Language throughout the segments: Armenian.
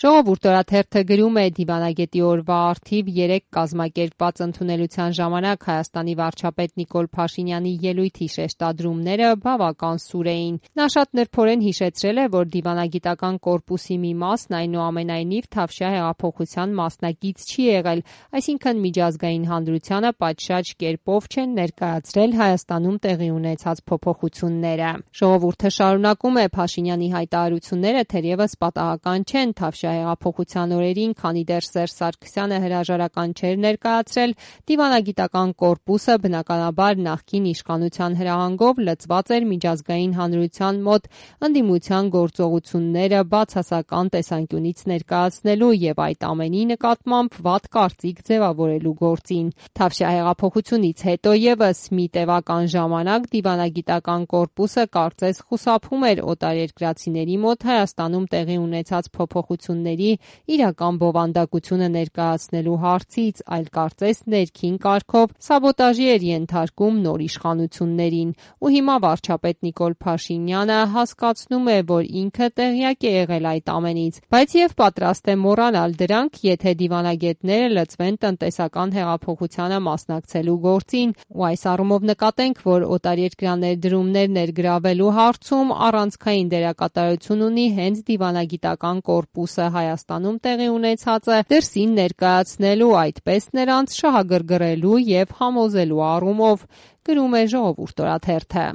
Ժողովուրդ օրաթերթը գրում է դիվանագետի օրվա առթիվ 3 կազմակերպված ընդունելության ժամանակ Հայաստանի վարչապետ Նիկոլ Փաշինյանի ելույթի շեշտադրումները բավական սուր էին։ Նա շատ նրբորեն հիշեցրել է, որ դիվանագիտական կորպուսի մի մասն այնուամենայնիվ Թավշյա հեղափոխության մասնակից չի եղել, այսինքն միջազգային հանրությանը պատշաճ կերպով չեն ներկայացրել Հայաստանում տեղի ունեցած փոփոխությունները։ Ժողովուրդը շարունակում է Փաշինյանի հայտարարությունները թերևս պատահական չեն Թավշյա հեղափոխության օրերին, քանի դեռ Սերժ Սարգսյանը հրաժարական չէր ներկայացրել, դիվանագիտական կորպուսը բնականաբար նախկին իշխանության հրահանգով լծված էր միջազգային հանրության մոտ ընդդիմության գործողությունները բացասական տեսանկյունից ներկայացնելու եւ այդ ամենի նկատմամբ վատ կարծիք ձևավորելու գործին։ Թավշյա հեղափոխությունից հետո եւս մի տևական ժամանակ դիվանագիտական կորպուսը կարծես խուսափում էր օտարերկրացիների մոտ Հայաստանում տեղի ունեցած փոփոխությունների իրական բովանդակությունը ներկայացնելու հարցից, այլ կարծես ներքին կարգով սաբոտաժի էր ենթարկում նոր իշխանություններին։ Ու հիմա վարչապետ Նիկոլ Փաշինյանը հասկացնում է, որ ինքը տեղյակ է եղել այդ ամենից, բայց եւ պատրաստ է մոռանալ դրանք, եթե դիվանագետները լծվեն տնտեսական հեղափոխությանը մասնակցելու գործին, ու այս առումով նկատենք, որ օտարերկրյա ներդրումներ ներգրավելու հարցում առանցքային դերակատարություն ունի հենց դիվանագիտական կորպուսը Հայաստանում տեղի ունեցածը դրսին ներկայացնելու, այդպես նրանց շահագրգռելու եւ համոզելու առումով, գրում է Ժողովուրդ օրաթերթը։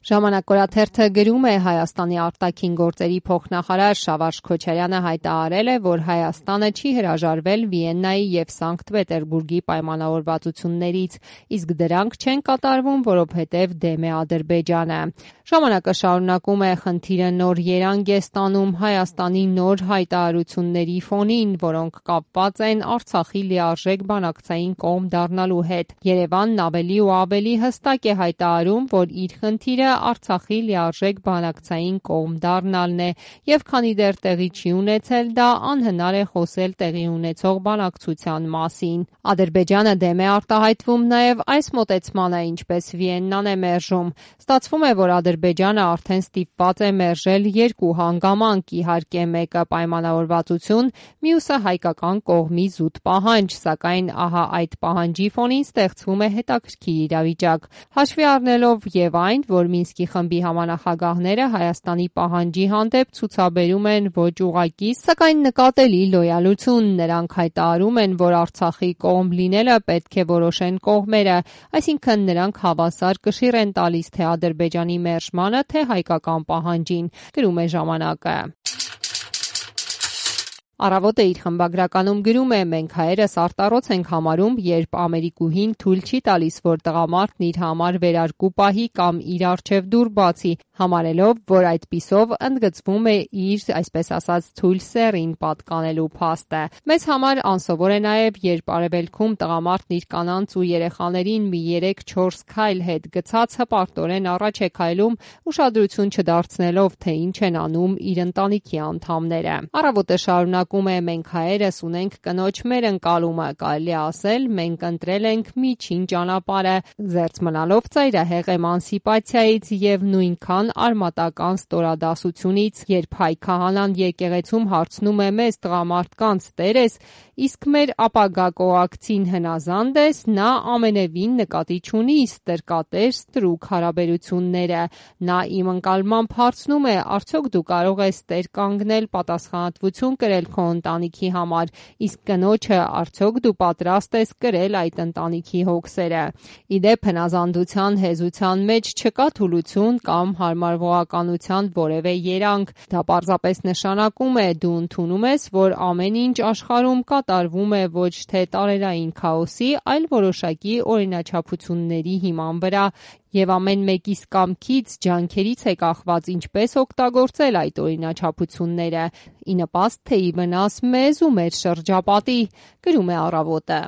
Ժամանակ օրաթերթը գրում է Հայաստանի արտաքին գործերի փոխնախարար Շավարժ Քոչարյանը հայտարարել է, որ Հայաստանը չի հրաժարվել Վիեննայի եւ Սանկտ Պետերբուրգի պայմանավորվածություններից, իսկ դրանք չեն կատարվում, որովհետեւ դեմ է Ադրբեջանը։ Ժամանակը շարունակում է խնդիրը նոր երանգ է ստանում Հայաստանի նոր հայտարարությունների ֆոնին, որոնք կապված են Արցախի լիարժեք բանակցային կողմ դառնալու հետ։ Երևանն ավելի ու ավելի հստակ է հայտարարում, որ իր խնդիրը Արցախի լիարժեք բանակցային կողմ դառնալն է, եւ քանի դեռ տեղի չի ունեցել, դա անհնար է խոսել տեղի ունեցող բանակցության մասին։ Ադրբեջանը դեմ է արտահայտվում նաեւ այս մոտեցմանը, ինչպես Վիեննան է մերժում։ Ստացվում է, որ Ադրբեջանը արդեն ստիպված է մերժել 2 հանգամանք, իհարկե մեկը պայմանավորվածություն, մյուսը հայկական կողմի զուտ պահանջ, սակայն ահա այդ պահանջի ֆոնին ստեղծվում է հետաքրքիր իրավիճակ։ Հաշվի առնելով եւ այն, որ Մինսկի խմբի համանախագահները Հայաստանի պահանջի հանդեպ ցուցաբերում են ոչ ուղղակի, սակայն նկատելի լոյալություն, նրանք հայտարարում են, որ Արցախի կողմ լինելը պետք է որոշեն կողմերը, այսինքն նրանք հավասար կշիռ են տալիս թե Ադրբեջանի մերժմանը, թե հայկական պահանջին, գրում է Ժամանակը։ Առավոտը իր խմբագրականում գրում է. մենք հայերս արտառոց ենք համարում, երբ ամերիկուհին թույլ չի տալիս, որ տղամարդն իր համար վերարկու պահի կամ իր առջև դուռ բացի, համարելով, որ այդպիսով ընդգծվում է իր, այսպես ասած, թույլ սեռին պատկանելու փաստը։ Մեզ համար անսովոր է նաև, երբ արևելքում տղամարդն իր կանանց ու երեխաներին մի 3-4 քայլ հետ գցած հպարտորեն առաջ է քայլում, ուշադրություն չդարձնելով, թե ինչ են անում իր ընտանիքի անդամները։ Առավոտը շարունակում է. մենք հայերս ունենք կնոջ մեր ընկալումը, կարելի է ասել, մենք ընտրել ենք միջին ճանապարհը, զերծ մնալով ծայրահեղ էմանսիպացիայից եւ նույնքան արմատական ստորադասությունից, երբ հայ քահանան եկեղեցում հարցնում է մեզ տղամարդկանց տերես, իսկ մեր ապագա կոակցին հնազանդ ես, նա ամենևին նկատի չունի ստրկատեր ստրուկ հարաբերությունները, նա իմ ընկալմամբ հարցնում է, արդյոք դու կարող ես տեր կանգնել պատասխանատվություն կրել քո ընտանիքի համար, իսկ կնոջը արդյոք դու պատրաստ ես կրել այդ ընտանիքի հոգսերը։ Իդեպ հնազանդության հեզության մեջ չկա թուլություն կամ հարմարվողականության որևէ երանգ, դա պարզապես նշանակում է դու ընդունում ես, որ ամեն ինչ աշխարհում կատարվում է ոչ թե տարերային քաոսի, այլ որոշակի օրինաչափությունների հիման վրա, եւ ամեն մեկիս կամքից, ջանքերից է կախված ինչպես օգտագործել այդ օրինաչափությունները, ի նպաստ թե ի վնաս մեզ ու մեր շրջապատի, գրում է Առավոտը։